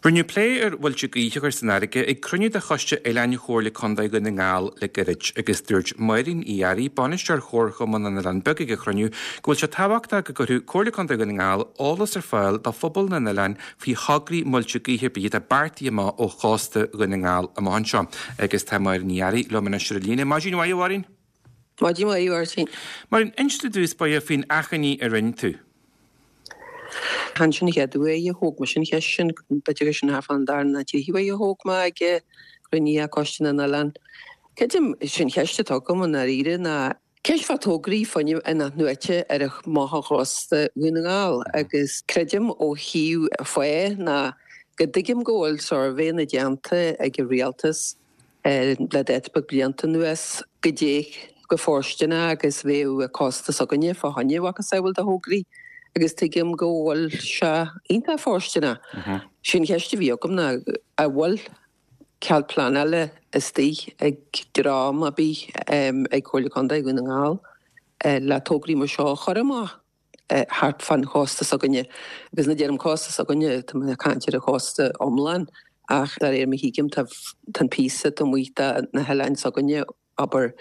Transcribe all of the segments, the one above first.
Rinneadh plé ar mhuilte gaoithe a chur san fharraige ag cruinniú de Choiste Oileáin Chomhairle Contae Dhún na nGall le gairid agus dúirt Máirín Uí Fhearraigh, Bainisteoir Chomharchumann na nOileán Beag ag an chruinniú, go bhfuil sé tábhachtach go gcuirfeadh Comhairle Contae Dhún na nGall eolas ar fáil do phobal na n-oileán faoi thograí muilte gaoithe ar bith atá beartaithe amach ó chósta Dhún na nGall amach anseo. Agus tá Máirín Uí Fhearraigh liom anois ar an líne. Maidin mhaith, a Mháirín. Maidin mhaith, a Mháirtín. Máirín, inis i dtús báire faoin achainí a rinne tú. Chan sin an chéad uair a thóg mise an cheist sin, b'fhéidir gur sin thart fán dara nó tríú huair a thóg mé ag cruinnithe Coiste na nOileán. Creidim, sin cheist atá agam i ndáiríre ná ceist fá tograí fuinnimh in-athnuaite ar amach ó chósta Dhún na nGall agus creidim ó thaobh fáth ná go dtuigim go bhfuil suirbhéanna déanta ag an rialtas le dáta beag blianta anuas goidé chomh fóirsteanach agus bheadh an cósta s'againne fá choinne a mhacasamhail de thograí agus tuigim go bhfuil sé iontach fóirsteanach. Sé an cheist a bhí agam ná an bhfuil cead pleanála istigh ag dream ar bith ag Comhairle Contae Dhún na nGall le tograí mar seo a chur amach? thart fán chósta s'againne. Agus nuair a deirim cósta s'againne, tá mé ag caint ar an chósta iomlán, ach de réir mar a thuigim, tá an píosa taobh amuigh de na hoileáin s'againne, abair,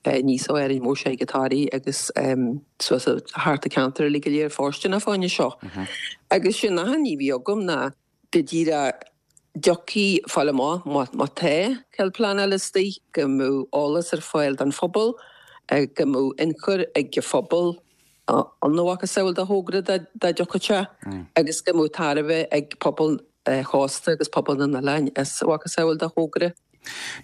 aníos ó Árainn Mhór soir go Toraigh agus suas thart an ceantar uilig go léir fóirsteanach fá choinne seo. Agus sin an achainí a bhí agam ná go díreach dtiocfaí fáil amach má tá cead pleanála istigh, go mbeadh eolas ar fáil don phobal, go mbeadh ionchur ag an phobal ina mhacasamhail de thogra dá dtiocfadh sé agus go mbeadh tairbhe ag pobal an chósta agus pobal na n-oileán as a mhacasamhail de thogra.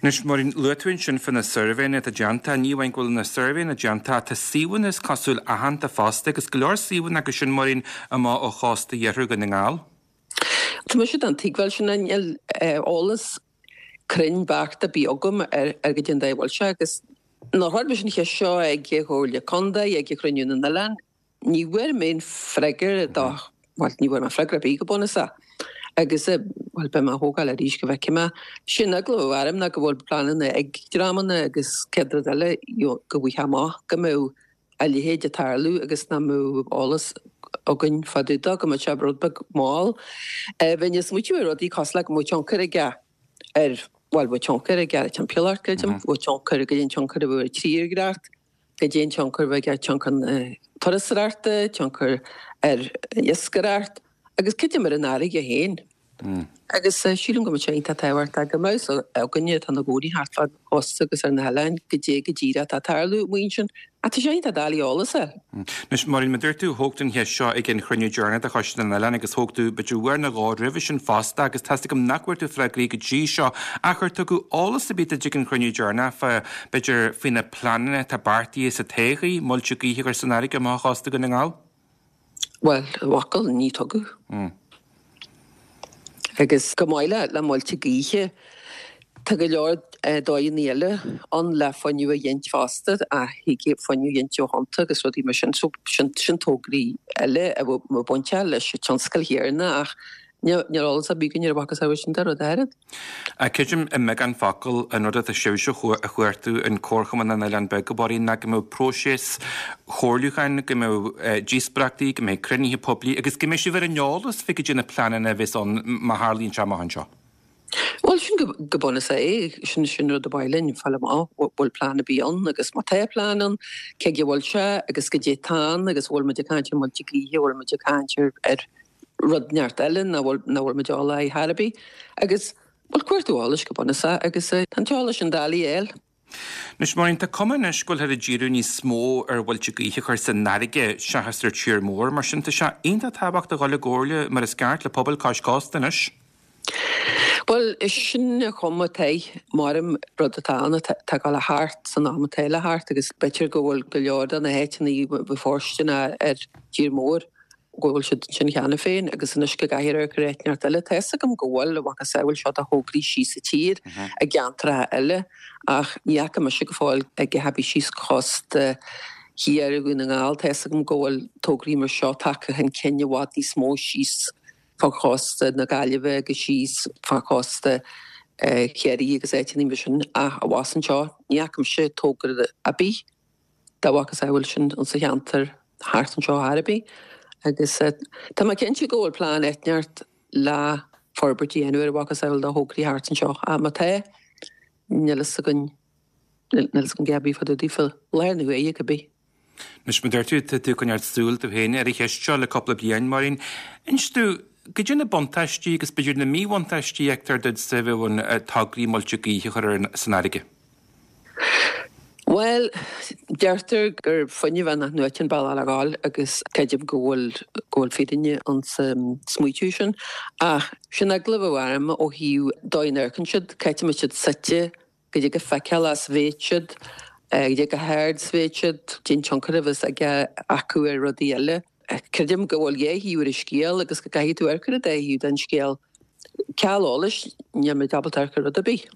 Anois, Máirín, luaigh tú ansin fá na suirbhéanna atá déanta. Ní amháin go bhfuil na suirbhéanna déanta, tá suíomhanna is cosúil aitheanta fosta agus go leor suíomhanna acu sin, Máirín, amach ó chósta iarthar Dhún na nGall. Tá mise den tuigbheáil sin, níl eolas cruinn beacht ar bith agam ar goidé an dóigh a bhfuil sé agus nuair a chuir mise an cheist seo ag an Chomhairle Contae, ag Cruinniú na nOileán, ní bhfuair mé aon freagra dó, bhuel, ní bhfuair mé freagra ar bith go bunúsach. Agus, bhuel, beidh mé á thógáil arís go bhfeicfidh mé. Sin eagla a bhí orm ná go bhfuil pleananna ag dreamanna agus céad rud eile go bhfaighfeá amach go mbeadh a leithéid ag tarlú agus nach mbeadh eolas againn fá dtaobh dó, go mbeadh sé rud beag mall. Bheinn ag smaoitiú ar rudaí cosúil le go mbeadh tionchar aige ar, bhuel, bheadh tionchar aige ar an timpeallacht, creidim, bheadh tionchar, goidé an tionchar a bheadh ar an tírdhreach, goidé an tionchar a bheadh ar tionchar na turasóireachta, tionchar ar iascaireacht agus creidim ar an fharraige féin. Agus sílim go mbeadh sé iontach tábhachtach go mbeadh fhios againne atá ina gcónaí thart fán chósta agus ar na hoileáin goidé go díreach atá ag tarlú amuigh ansin. Ach tá sé iontach doiligh eolas a fháil. Anois, Máirín, mar dúirt tú, thóg tú an cheist seo ag an chruinniú deireanach de Choiste na nOileán agus thóg tú b'fhéidir uair nó dhó roimhe sin fosta agus tá's agam nach bhfuair tú freagraí go dtí seo ach ar tugadh eolas ar bith duit ag an chruinniú deireanach fá, b'fhéidir, faoi na pleananna atá beartaithe sa todhchaí, muilte gaoithe a chur san fharraige amach ó chósta Dhún na nGall? Bhuel, i bhfocal, ní tugadh. Agus chomh maith le muilte gaoithe, tá go leor dóigheanna eile ann le fuinneamh a ghint fosta, ach thig fuinneamh a ghint ó thonnta agus rudaí mar sin. So, sin tograí eile a bhfuil bainteach leis an tionscal chéanna ach níl eolas ar bith againn ar a mhacasamhail sin de rud áirid. Creidim i mbeagán focal an rud atá sibhse a chuartú in Comharchumann na nOileán Beag, a Mháirín, ná go mbeadh próiseas comhairliúcháin, go mbeadh díospóireachtaí, go mbeidh cruinnithe poiblí agus go mbeidh sibh ar an eolas fé goidé na pleananna a bheas ann má tharlaíonn sé amach anseo. Bhuel, sin go bunúsach é. Sin sin rud ab áil linn fáil amach, bhfuil plean ar bith ann agus má tá plean ann, cé aige a bhfuil sé agus goidé atá ann agus bhfuil muid ag caint ar muilte gaoithe, bhfuil muid ag caint ar rud inteacht eile nach bhfuil nach bhfuil muid eolach air chor ar bith agus bhuel cuartú eolais go bunúsach agus tá an t-eolas sin doiligh a fháil. Anois Máirín, tá cuma anois go bhfuilthear ag díriú níos mó ar mhuilte gaoithe a chur san fharraige seachas ar tír mór, mar sin tá sé iontach tábhachtach a dhul i gcomhairle mar is ceart le pobail cois cósta anois. Bhuel, sin an chuma atá air, maram rud atá ann atá ag dul a theacht san am atá le theacht agus b'fhéidir go bhfuil go leor de na háiteanna a bhí fóirsteanach ar tír mór go bhfuil siad ansin cheana féin agus anois go gcaithfear amharc ar áit inteacht eile. Tá fhios agam go bhfuil a mhacasamhail seo de thograí síos sa tír i gceantracha eile ach ní fhaca mise go fóill a dhath ar bith síos cósta thiar Dhún na nGall. Tá fhios agam go bhfuil tograí mar seo tagtha chun cinn i bhfad níos mó síos fá chósta na Gaillimhe agus síos fá chósta Chiarraí agus áiteanna mar sin ach abhus anseo ní fhaca mise togra ar bith. dá mhacasamhail sin insa cheantar thart anseo chor ar bith agus tá mé cinnte go bhfuil plean inteacht le. forbairt a dhéanamh ar a mhacasamhail de thograí thart anseo. Ach má tá, níl fhios againn, níl fhios againn a dhath ar bith fá dtaobh daofa, láthair na huaire cibé. Anois, mar a deir tú, tá tú ag coinneáil súil tú féin ar an cheist seo le cúpla bliain, Máirín. Inis domh, goidé na buntáistí agus b'fhéidir na míbhuntáistí a fheictear duitse a bheadh ann tograí muilte gaoithe a chur ar san fharraige? Bhuel, deirtear gur fuinneamh in-athnuaite an bealach le dhul agus creidim go bhfuil go bhfuil fírinne insa smaoitiú sin. Ach sin eagla a bheadh orm ó thaobh dóigh a n-amharcann siad, cá háit a mbeidh siad suite, goidé chomh feiceálach is bheidh siad, goidé chomh hard is bheidh siad, cén tionchar a bheas aige acu ar rudaí eile. Creidim go bhfuil dhá thaobh ar an scéal agus go gcaithfidh tú amharc ar an dá thaobh den scéal. Ceal eolais, níl muid ábalta amharc ar rud ar bith.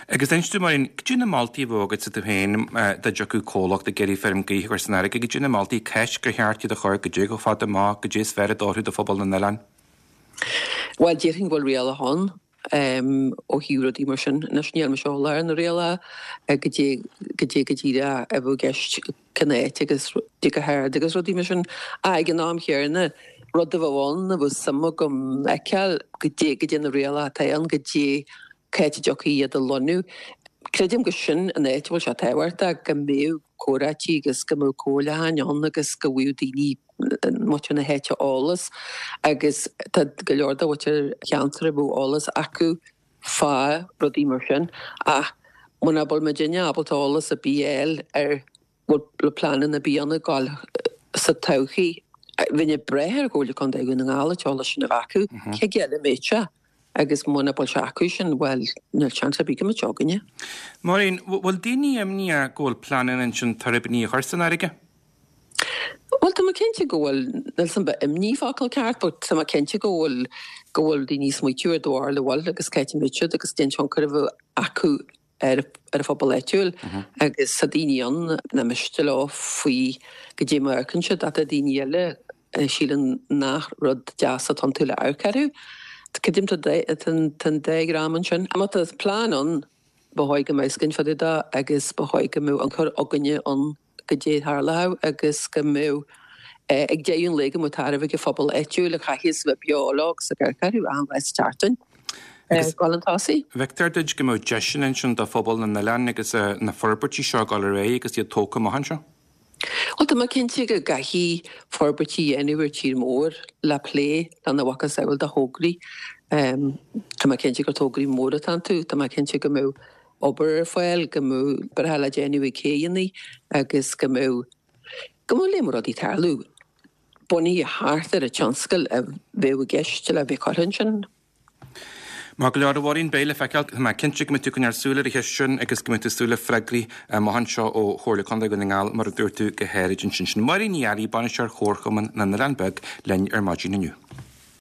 Agus inis domh, Máirín, goidé na moltaí a bheadh agatsa tú féin dá dtiocfadh comhlacht ag iarraidh feirm gaoithe a chur san fharraige, goidé na moltaí, ceist gur cheart iad a chur, goidé chomh fada amach, goidé is fearr a d'oirfeadh do phobal na n-oileán? Bhuel, déarfainn go bhfuil rialacha ann ó thaobh rudaí mar sin. Anois níl mise eolach ar na rialacha goidé goidé go díreach a bheadh i gceist cén áit agus goidé chomh hard agus rudaí mar sin. Ach ag an am chéanna, rud a bheadh ann a bheadh suim agam fheiceáil, goidé goidé na rialacha atá ann, goidé cá háit a dtiocfaí iad a lonnú. Creidim gur sin an áit a bhfuil sé tábhachtach go mbeadh comhráití agus go mbeadh comhairleacháin ann agus go bhfaigheadh daoine, muintir na háite eolas agus tá go leor de mhuintir an cheantair a bheadh eolas acu fá rudaí mar sin ach muna bhfuil muidinne ábalta eolas ar bith a fháil ar bhfuil pleananna ar bith ann ag gabháil sa todhchaí, bheinn ag brath ar Chomhairle Contae Dhún na nGall an t-eolas sin a bheith acu. Cé aige eile a mbeadh sé? Agus muna bhfuil sé acu sin, bhuel, níl seans ar bith go mbeadh sé againne. Máirín, bhfuil daoine imníoch go bhfuil pleananna ansin tuirbíní a chur san fharraige? Bhuel, tá mé cinnte go bhfuil, níl 'fhios a'm an imní focal ceart, but tá mé cinnte go bhfuil, go bhfuil daoine ag smaoitiú ar dóigh a bhfuil agus cá háit a mbeidh siad agus cén tionchar a bheadh acu ar ar an phobal áitiúil agus tá daoine ann nach miste leo faoi goidé mar a amharcann siad ach tá daoine eile a síleann nach rud deas atá iontu le amharc orthu. Creidim tá an dá dhream ansin. Má tá plean ann, ba chóir go mbeadh fhios againn fá dtaobh de agus ba chóir go mbeadh ionchur againne ann goidé a tharlódh agus go mbeadh ag deireadh an lae go mbeadh tairbhe ag an phobal áitiúil a chaithfeas a bheith beo leo agus ag amharc orthu achan lá sa tseachtain. Agus dul chun tosaigh. Feictear duit go mbeadh deiseanna ansin do phobal na n-oileán agus na forbairtí seo ag dul ar aghaidh agus iad tógtha amach anseo? Bhuel, tá mé cinnte go gcaithfí forbairtí a dhéanamh ar tír mór le plé lena mhacasamhail de thograí. Tá mé cinnte gur tograí móra atá iontu. Tá mé cinnte go mbeadh obair ar fáil, go mbeadh oibreacha le déanamh ag céidheanna agus go mbeadh, go mbeadh léim rudaí ag tarlú bunaithe thart ar an tionscal a bheadh i gceist le bheith curtha ansin. Maith go leor, a Mháirín, beidh le feiceáil. Tá mé cinnte go mbeidh tú ag coinneáil súil ar an cheist sin agus go mbeidh tú ag súil le freagraí amach anseo ó Chomhairle Contae Dhún na nGall, mar a dúirt tú go háirid ansin. Sin Máirín Ní Fhearraigh, Bainisteoir Chomharchumann na nOileán Beag, linn ar maidin inniu.